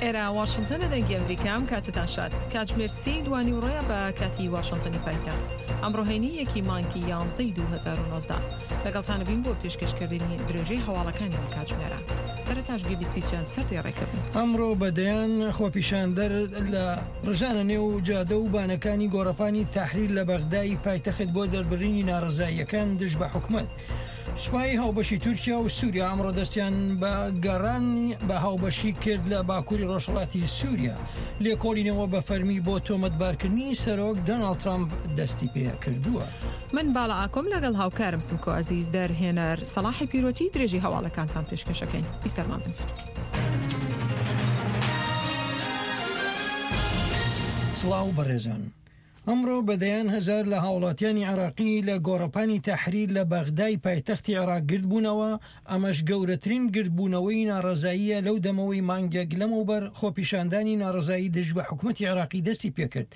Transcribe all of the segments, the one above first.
ئێرە واشنتۆنە دەنگی ئەمریکا ئەم کاتتان شاد کاتژمێر سی دوانی ڕۆیە بە کاتی واشنتۆنی پایتەخت ئەمڕۆ هەینی یەکی مانگی یانزەی 2019 لەگەڵتانە بین بۆ پێشکەشکردنی درێژەی هەواڵەکانی ئەم کاتژمێرە سەرەتاش گوێبیستی چەند سەردێڕێکە بن. ئەمڕۆ بە دەیان خۆپیشاندەر لە ڕژانە نێو جادە و بانەکانی گۆڕەپانی تەحریر لە بەغدای پایتەخت بۆ دەربڕینی ناڕەزاییەکان دژ بە حکومەت. سوپای هاوبەشی تورکیا و سووریا ئەمڕۆ دەستیان بە گەڕان بە هاوبەشی کرد لە باکووری ڕۆژهەڵاتی سووریا. لێکۆڵینەوە بە فەرمی بۆ تۆمەتبارکردنی سەرۆک دۆناڵد ترامپ دەستی پێکردووە. من باڵا ئاکۆم لەگەڵ هاوکارم سمکۆ ئەزیز دەرهێنەر سەڵاحی پیرۆتی درێژی هەواڵەکانتان پێشکەشەکەین بیسەرمان بن. سڵاو بەڕێزان. ئەمڕۆ بە دەیان هەزار لە هاوڵاتیانی عێراقی لە گۆڕەپانی تەحریر لە بەغدای پایتەختی عێراق گردبوونەوە، ئەمەش گەورەترین گردبوونەوەی ناڕەزاییە لەو دەمەوەی مانگێک لەمەوبەر خۆپیشاندانی ناڕەزایی دژ بە حکومەتی عێراقی دەستی پێکرد.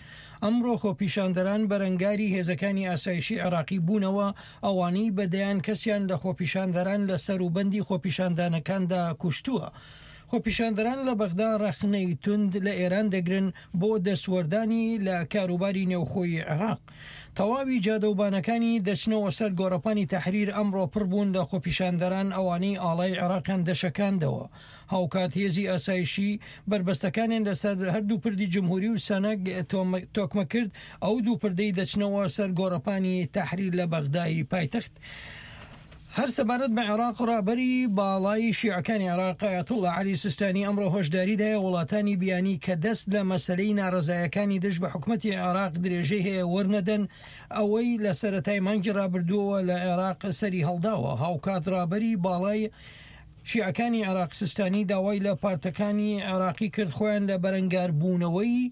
ئەمڕۆ خۆپیشاندەران بەرەنگاری هێزەکانی ئاسایشی عێراقی بوونەوە، ئەوانەی بە دەیان کەسیان لە خۆپیشاندەران لە سەروبەندی خۆپیشاندانەکاندا کوشتووە. خۆپیشاندەران لە بەغدا ڕەخنەی توند لە ئێران دەگرن بۆ دەستوەردانی لە کاروباری نێوخۆی عێراق. تەواوی جادەوبانەکانی دەچنەوە سەر گۆڕەپانی تەحریر ئەمڕۆ پڕ بوون لە خۆپیشاندەران ئەوانەی ئاڵای عێراقیان دەشەکاندەوە. هاوکات هێزی ئاسایشی بەربەستەکانیان لەسەر هەردوو پردی جمهوری و سەنەگ تۆکمە کرد، ئەو دوو پردەی دەچنەوە سەر گۆڕەپانی تەحریر لە بەغدای پایتەخت. هەر سەبارەت بە عێراق، ڕابەری باڵای شیعەکانی عێراق ئایەتوڵڵا عەلی سیستانی ئەمڕۆ هۆشداری دایە وڵاتانی بیانی کە دەست لە مەسەلەی ناڕەزایەکانی دژ بە حکومەتی عێراق درێژەی هەیە وەرنەدەن، ئەوەی لە سەرەتای مانگی ڕابردووەوە لە عێراق سەری هەڵداوە. هاوکات ڕابەری باڵای شیعەکانی عێراق سیستانی داوای لە پارتەکانی عێراقی کرد خۆیان لە بەرەنگاربوونەوەی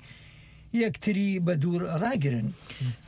یەکتری بەدوور ڕاگرن.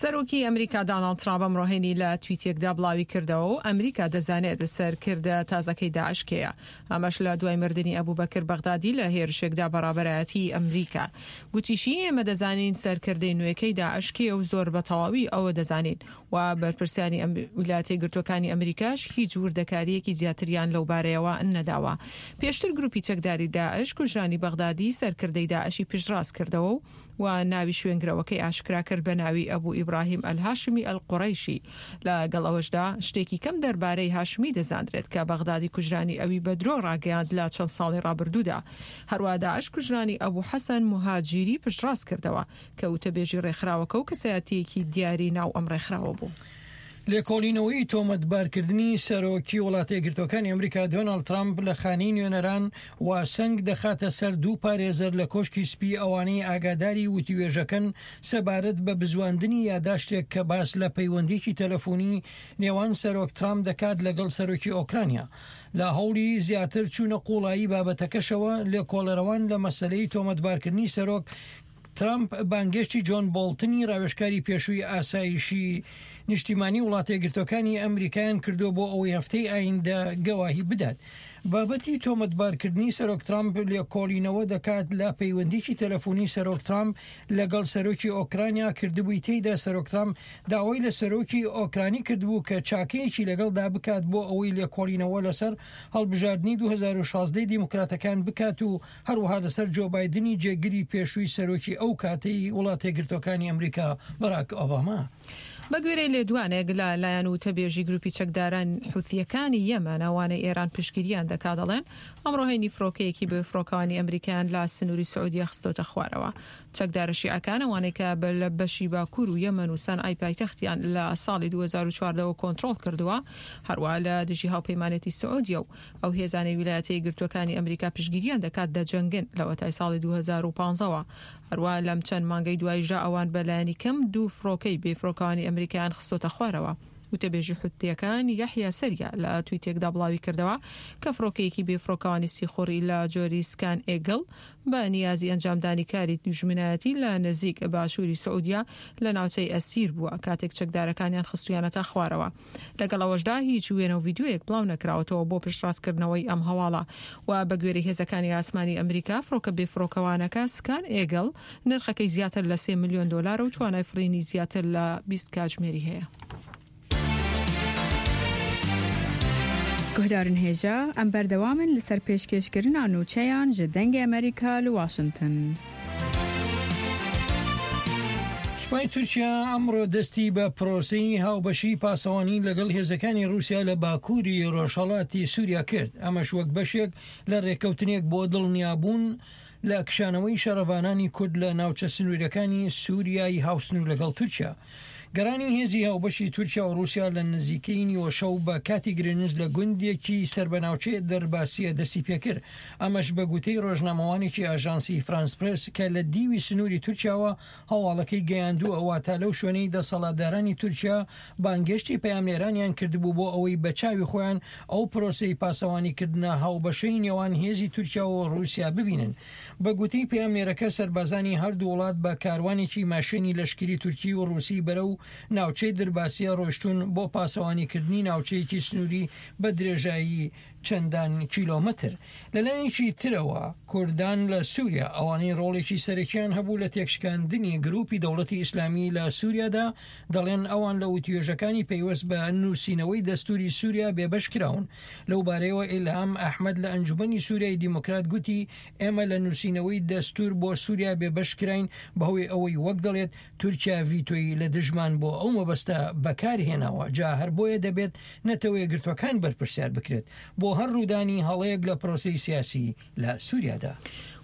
سەرۆکی ئەمریکا داناڵد ترامپ ئەمڕۆ هەینی لە تویتێکدا بڵاویکردەوە و ئەمریکا دەزانێت سەرکردە تازەکەی داعش کێیە، ئەمەش لە دوای مردنی ئەبوبەکر بەغدادی لە هێرشێکدا بە ڕابەرایەتیی ئەمریکا. گوتیشی، ئێمە دەزانین سەرکردەی نوێکەی داعش کێیە و زۆر بە تەواوی ئەوە دەزانین و بەرپرسانی ویلایەتە یەکگرتووەکانی ئەمریکاش هیچ وردەکارییەکی زیاتریان لەوبارەیەوە نەداوە. پێشتر گروپی چەکداری داعش کوژرانی بەغدادی سەرکردەی داعشی پشتڕاست کردەوە و و ناوی شوێنگرەوەکەی ئاشکرا کرد بە ناوی ئەبو ئیبراهیم ئەلهاشمی ئەلقوڕەیشی. لەگەڵ ئەوەشدا شتێکی کەم دەربارەی هاشمی دەزاندرێت کە بەغدادی کوژرانی ئەوی بە درۆ ڕاگەیاند لە چەند ساڵی ڕابردوودا. هەروا داعش کوژرانی ئەبو حەسەن موهاجیری پشتڕاست کردەوە. کە وتەبێژی ڕێکخراوەکە و کەسایەتییەکی دیاری ناو ئەم ڕێکخراوە بوو. لێکۆڵینەوەی تۆمەتبارکردنی سەرۆکی وڵاتەیەکگرتووەکانی ئەمریکا دۆناڵد ترامپ لە خانەی نوێنەران واسەنگ دەخاتە سەر دوو پارێزەر لە کۆشکی سپی ئەوانەی ئاگاداری وتوێژەکەن سەبارەت بە بزواندنی یاداشتێک کە باس لە پەیوەندیی تەلەفۆنی نێوان سەرۆک ترامپ دەکات لەگەڵ سەرۆکی ئۆکرانیا لە هەوڵی زیاتر چوونە قوڵایی بابەتەکەشەوە لێکۆڵەرەوان لە مەسەلەی تۆمەتبارکردنی سەرۆک ترەمپ بانگێشتی جۆن بۆڵتنی راوێژکاری پێشووی ئاسایشی نیشتیمانی وڵاتەیەکگرتووەکانی ئەمریکایان کردووە بۆ ئەوەی هەفتەی ئایندە گەواهی بدات. بابەتی تۆمەتبارکردنی سەرۆک ترامپ لێکۆڵینەوە دەکات لە پەیوەندیی تەلەفۆنی سەرۆک ترامپ لەگەڵ سەرۆکی ئۆکرانیا کردبووی تێیدا سەرۆک ترامپ داوای لە سەرۆکی ئۆکرانی کردبوو کە چاکەیەکی لەگەڵدا بکات بۆ ئەوەی لێکۆڵینەوە لەسەر هەڵبژاردنی 2016 دیموکراتەکان بکات و هەروەها لەسەر جۆ بایدنی جێگری پێشووی سەرۆکی ئەو کاتەی وڵاتەیەکگرتووەکانی ئەمریکا باراک ئۆباما. بەگوێرەی لێدوانێک لە لایەن وتەبێژی گروپی چەکداران حوثییەکانی یەمەن ئەوانەی ئێران پشتگیریان دەکات دەڵێن ئەمڕۆ هەینی فڕۆکەیەکی بێ فڕۆکەوانی ئەمریکایان لە سنووری سعودیە خستۆتە خوارەوە. چەکدارە شیعەکان ئەوانەی کە لە بەشی باکوور و یەمەن و سەنعای پایتەختیان لە ساڵی 2014 ەوە کۆنترۆڵ کردووە هەروەها لە دژی هاوپەیمانێتی سعودیە و ئەو هێزانەی ویلایەتە یەکگرتووەکانی ئەمریکا پشتگیریان دەکات دەجەنگن لەوەتای ساڵی 2015 ەوە. هەروا لەم چەند مانگەی دواییشدا ئەوان بە لایەنی کەم دوو فڕۆکەی بێفڕۆکەوانی ئەمریکایان خستۆتە خوارەوە. وتەبێژی حوتییەکان یەحیا سەریا لە تویتێکدا بڵاویکردەوە کە فڕۆکەیەکی بێفڕۆکەوانی سیخوڕی لە جۆری سکان ئێگڵ بە نیازی ئەنجامدانی کاری دوژمنایەتی لە نزیک باشووری سعودیە لە ناوچەی ئەسیر بووە کاتێک چەکدارەکانیان خستوویانەتە خوارەوە. لەگەڵ ئەوەشدا هیچ وێنە و ڤیدیۆیەک بڵاونەکراوەتەوە بۆ پشتڕاستکردنەوەی ئەم هەواڵە و بەگوێرەی هێزەکانی ئاسمانی ئەمریکا فڕۆکە بێفڕۆکەوانەکە سکان ئێگڵ نرخەکەی زیاتر لە سێ ملیۆن دۆلارە و توانای فڕینی زیاتر لە 20 کاتژمێری هەیە. Guhdarên hêja, em berdewam in li ser pêşkêşkirina nûçeyan ji Dengê Amerîka li Washington. سوپای تورکیا ئەمڕۆ دەستی بە پرۆسەی هاوبەشی پاسەوانی لەگەڵ هێزەکانی ڕووسیا لە باکووری ڕۆژهەڵاتی سووریا کرد، ئەمەش وەک بەشێک لە ڕێککەوتنێک بۆ دڵنیابوون لە کشانەوەی شەڕڤانانی کورد لە ناوچە سنووریەکانی سووریای هاوسنوور لەگەڵ تورکیا. گەڕانی هێزی هاوبەشی تورکیا و ڕووسیا لە نزیکەی نیوەشەو بە کاتی گرێنج لە گوندێکی سەر بە ناوچەی دەرباسیە دەستی پێکرد، ئەمەش بە گوتەی ڕۆژنامەوانێکی ئاژانسی فرانس پرێس کە لە دیوی سنووری تورکیاوە هەواڵەکەی گەیاندووە، واتە لەو شوێنەی دەسەڵاتدارانی تورکیا بانگهێشتی پەیامنێرانیان کردبوو بۆ ئەوەی بە چاوی خۆیان ئەو پرۆسەی پاسەوانیکردنە هاوبەشەی نێوان هێزی تورکیا و ڕووسیا ببینن. بە گوتەی پەیامنێرەکە سەربازانی هەردوو وڵات بە کاروانێکی ماشێنی لەشکری تورکی و ڕووسی بەرەو ناوچەی درباسیە ڕۆیشتوون بۆ پاسەوانیکردنی ناوچەیەکی سنووری بە درێژایی چەندان کیلۆمەتر. لەلایەکی ترەوە کوردان لە سوریا ئەوانەی ڕۆڵێکی سەرەکیان هەبوو لە تێکشکاندنی گروپی دەوڵەتی ئیسلامی لە سوریادا دەڵێن ئەوان لە وتوێژەکانی پەیوەست بە نووسینەوەی دەستوری سوریا بێبەش کراون. لەو بارەیەوە ئیلهام ئەحمەد لە ئەنجومەنی سوریای دیموکرات گوتی ئێمە لە نووسینەوەی دەستور بۆ سوریا بێبەش کراین بەهۆی ئەوەی وەک دەڵێت تورکیا ڤیتۆی لە دژمان بۆ ئەو مەبەستە بەکار هێناوە، جا هەر بۆیە دەبێت نەتەوەیەکگرتووەکان بەرپرسیار بکرێت بۆ هەر ڕوودانی هەڵەیەک لە پرۆسەی سیاسی لە سوریادا.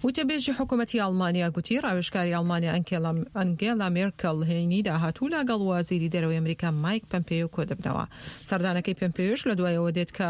وتەبێژی حکومەتی ئەڵمانیا گوتی، ڕاوێژکاری ئەڵمانیا ئەنگێلا مێرکڵ هەینی داهاتوو لەگەڵ وەزیری دەرەوەی ئەمریکا مایک پەمپێیۆ کۆدەبنەوە. سەردانەکەی پەمپێیۆش لەدوای ئەوە دێت کە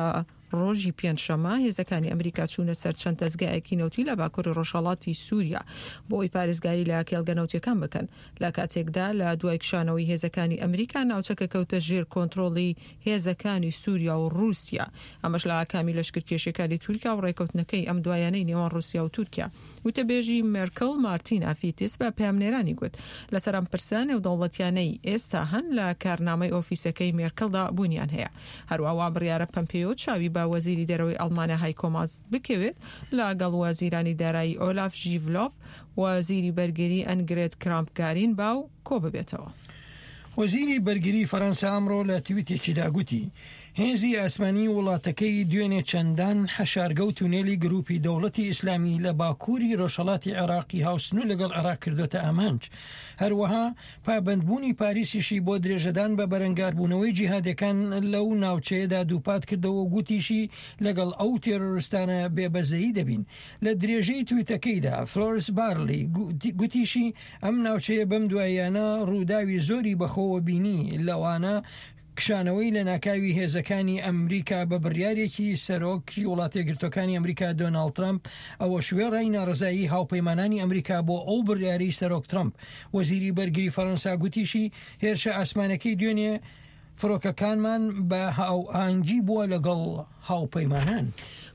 ڕۆژی پێنجشەممە هێزەکانی ئەمریکا چوونە سەر چەند دەزگایەکی نەوتی لە باکووری ڕۆژهەڵاتی سووریا بۆ ئەوەی پارێزگاری لە کێڵگە نەوتییەکان بکەن، لە کاتێکدا لە دوای کشانەوەی هێزەکانی ئەمریکا ناوچەکە کەوتە ژێر کۆنترۆڵی هێزەکانی سووریا و ڕووسیا، ئەمەش لە ئاکامی لەشکرکێشیەکانی تورکیا و ڕێکەوتنەکەی ئەم دوایانەی نێوان ڕووسیا و تورکیا. وتەبێژی مێرکڵ مارتینا فیتس بە پەیامنێرانی گوت، لەسەر ئەم پرسە نێودەوڵەتیانەی ئێستا هەن لە کارنامەی ئۆفیسەکەی مێرکڵدا بوونیان هەیە. هەروا وا بڕیارە پەمپێیۆ چاوی بە وەزیری دەرەوەی ئەڵمانیا هایکۆ ماس بکەوێت لەگەڵ وەزیرانی دارایی ئۆلاف ژیڤلۆف، وەزیری بەرگری ئەنگرێت کرامپ گارینباو کۆببێتەوە. وەزیری بەرگری فەرەنسا ئەمڕۆ لە تویتێکیدا گوتی، هێزی ئاسمانی وڵاتەکەی دوێنێ چەندان حەشارگە و تونێلی گروپی دەوڵەتی ئیسلامی لە باکووری ڕۆژهەڵاتی عێراقی هاوسنوور لەگەڵ عێراق کردۆتە ئامانج. هەروەها پابەندبوونی پاریسیشی بۆ درێژەدان بە بەرەنگاربوونەوەی جیهادیەکان لەو ناوچەیەدا دووپات کردەوە و گوتیشی لەگەڵ ئەو تێرۆرستانە بێ بەزەیی دەبین. لە درێژەی تویتەکەیدا فلۆرس بارلی گوتیشی ئەم ناوچەیە بەم دواییانە ڕووداوی زۆری بەخۆوە بینی لەوانە کشانەوەی لەناکاوی هێزەکانی ئەمریکا بە بڕیارێکی سەرۆکی وڵاتەیەکگرتووەکانی ئەمریکا دۆناڵد ترەمپ، ئەوەش وێڕای ناڕەزایی هاوپەیمانانی ئەمریکا بۆ ئەو بڕیارەی سەرۆک ترەمپ. وەزیری بەرگری فەرەنسا گوتیشی، هێرشە ئاسمانەکەی دوێنێ فڕۆکەکانمان بە هاوئاهەنگی بووە لەگەڵ هاوپەیمانان.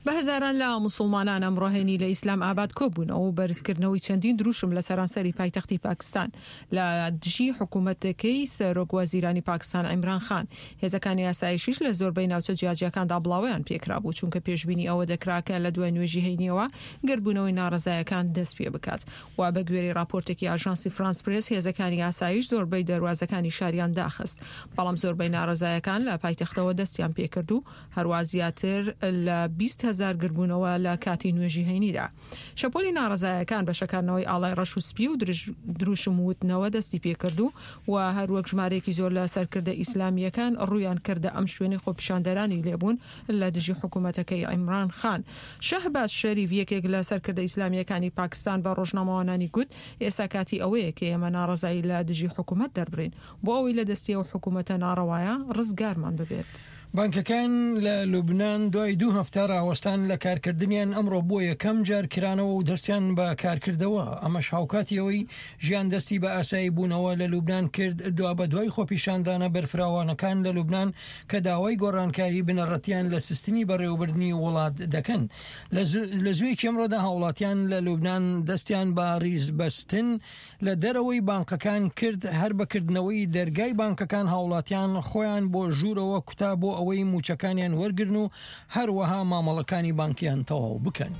بە هەزاران لە موسڵمانان ئەمڕۆ هەینی لە ئیسلام ئاباد کۆبوونەوە و بەرزکردنەوەی چەندین دروشم لە سەرانسەری پایتەختی پاکستان لە دژی حکومەتەکەی سەرۆک وەزیرانی پاکستان عیمران خان. هێزەکانی ئاسایشیش لە زۆربەی ناوچە جیاجیاکاندا بڵاوەیان پێکرابوو، چونکە پێشبینی ئەوە دەکرا کە لە دوای نوێژی هەینیەوە گردبوونەوەی ناڕەزایەکان دەست پێبکات. و بە گوێرەی ڕاپۆرتێکی ئاژانسی فرانس پرێس هێزەکانی ئاسایش زۆربەی دەروازەکانی شاریان داخست، بەڵام زۆربەی ناڕەزایەکان لە پایتەختەوە دەستیان پێکرد و هەروا زیاتر لە 20 هەزار گربوونەوە لە کاتی نوێژی هەینیدا. شەپۆلی ناڕەزایەکان بە شەکاندنەوەی ئاڵای ڕەش و سپی و دروشم وتنەوە دەستی پێکرد و و هەروەک ژمارەیەکی زۆر لە سەرکردە ئیسلامییەکان ڕوویان کردە ئەم شوێنەی خۆپیشاندەرانی لێبوون لە دژی حکومەتەکەی عیمران خان. شەهباز شەریف یەکێک لە سەرکردە ئیسلامییەکانی پاکستان بە ڕۆژنامەوانانی گوت ئێستا کاتی ئەوەیە کە ئێمە ناڕەزایی لە دژی حکومەت دەربڕین بۆ ئەوەی لە دەستی ئەو حکومەتە ناڕەوایە ڕزگارمان ببێت. بانکەکان لە لوبنان دوای دوو هەفتە راوەستان لە کارکردنیان ئەمڕۆ بۆ یەکەم جار کرانەوە و دەستیان بە کارکردەوە، ئەمەش هاوکاتی ئەوەی ژیان دەستی بە ئاسایی بوونەوە لە لوبنان کرد دوابەدوای خۆپیشاندانە بەرفراوانەکان لە لوبنان کە داوای گۆڕانکاری بنەڕەتیان لە سیستمی بەڕێوەبردنی وڵات دەکەن. لە زوویەکی ئەمڕۆدا هاوڵاتیان لە لوبنان دەستیان بە ریزبەستن لە دەرەوەی بانقەکان کرد، هەر بە کردنەوەی دەرگای بانکەکان هاوڵاتیان خۆیان بۆ ژوورەوە کوتا بۆ ئەوەی مووچەکانیان وەرگرن و هەروەها مامەڵەکانی بانکیان تەواو بکەن.